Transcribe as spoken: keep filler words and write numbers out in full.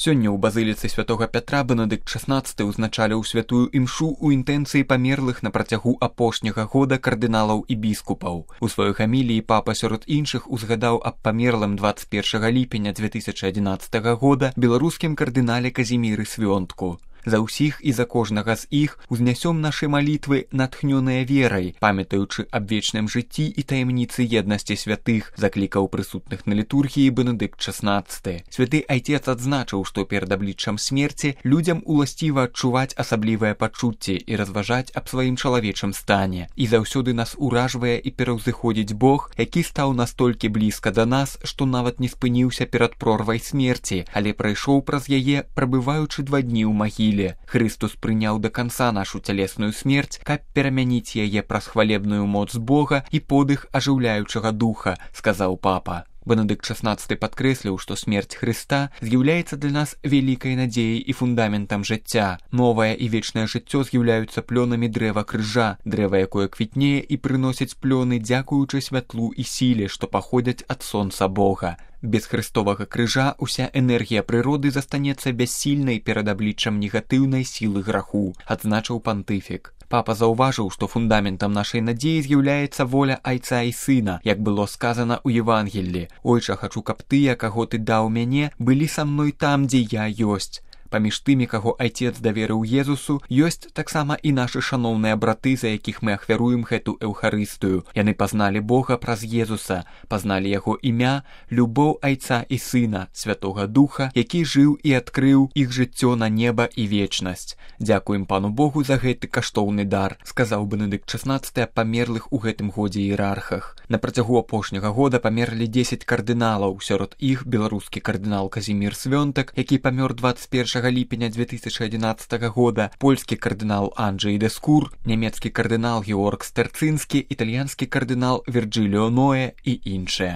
Сёння ў базыліцы святога Пятра Бенедыкт шаснаццаты ўзначаліў святую імшу ў інтэнцыі памерлых на працягу апошняга года кардыналаў і біскупаў. У сваёй гаміліі папа сярод іншых узгадаў аб памерлым дваццаць першага ліпеня дзве тысячы адзінаццатага года беларускім кардынале Казіміры Свёнтку. За ўсіх і за кожнага з іх узнясём нашы малітвы, натхнёныя верай, памятаючы аб вечным жыцці і таямніцы еднасці святых, заклікаў прысутных на літургіі Бенедыкт шаснаццаты. Святы айцец адзначыў, што перад абліччам смерці людзям уласціва адчуваць асаблівыя пачуцці і разважаць аб сваім чалавечым стане. І заўсёды нас уражвае і пераўзыходзіць Бог, які стаў настолькі блізка да нас, што нават не спыніўся перад прорвай смерці, але прайшоў праз яе, прабываючы два дні ў магіле. Христус прыняў да канца нашу цялесную смерць, каб перамяніць яе праз хвалебную моц Бога і подых ажыўляючага духа, сказаў папа. Бенедыкт шаснаццаты падкрэсліў, што смерць Хрыста з'яўляецца для нас вялікай надзеяй і фундаментам жыцця. Новае і вечнае жыццё з'яўляюцца плёнамі дрэва крыжа, дрэва, якое квітнее і прыносіць плёны, дзякуючы святлу і сіле, што паходзяць ад сонца Бога. Без хрыстовага крыжа ўся энергія прыроды застанецца бяссільнай перад абліччам негатыўнай сілы граху, адзначыў пантыфік. Папа заўважыў, што фундаментам нашай надзеі з'яўляецца воля айца і сына, як было сказана ў Евангеллі. «Ойча, хачу, каб тыя, каго ты даў мяне, былі са мной там, дзе я ёсць». Паміж тымі, каго айцец даверыў Езусу, ёсць таксама і нашы шаноўныя браты, за якіх мы ахвяруем гэту эўхарыстыю. Яны пазналі Бога праз Езуса, пазналі яго імя, любоў айца і сына, святога духа, які жыў і адкрыў іх жыццё на неба і вечнасць. Дзякуем пану Богу за гэты каштоўны дар, сказаў Бенедыкт шаснаццаты аб памерлых у гэтым годзе іерархах. На працягу апошняга года памерлі дзесяць кардыналаў, сярод іх беларускі кардынал Казімір Свёнтак, які памёр дваццаць першага ліпеня дзве тысячы адзінаццатага года, польскі кардынал Анджэй Дэскур, нямецкі кардынал Георг Стэрцынскі, італьянскі кардынал Вірджиліо Ноэ і іншыя.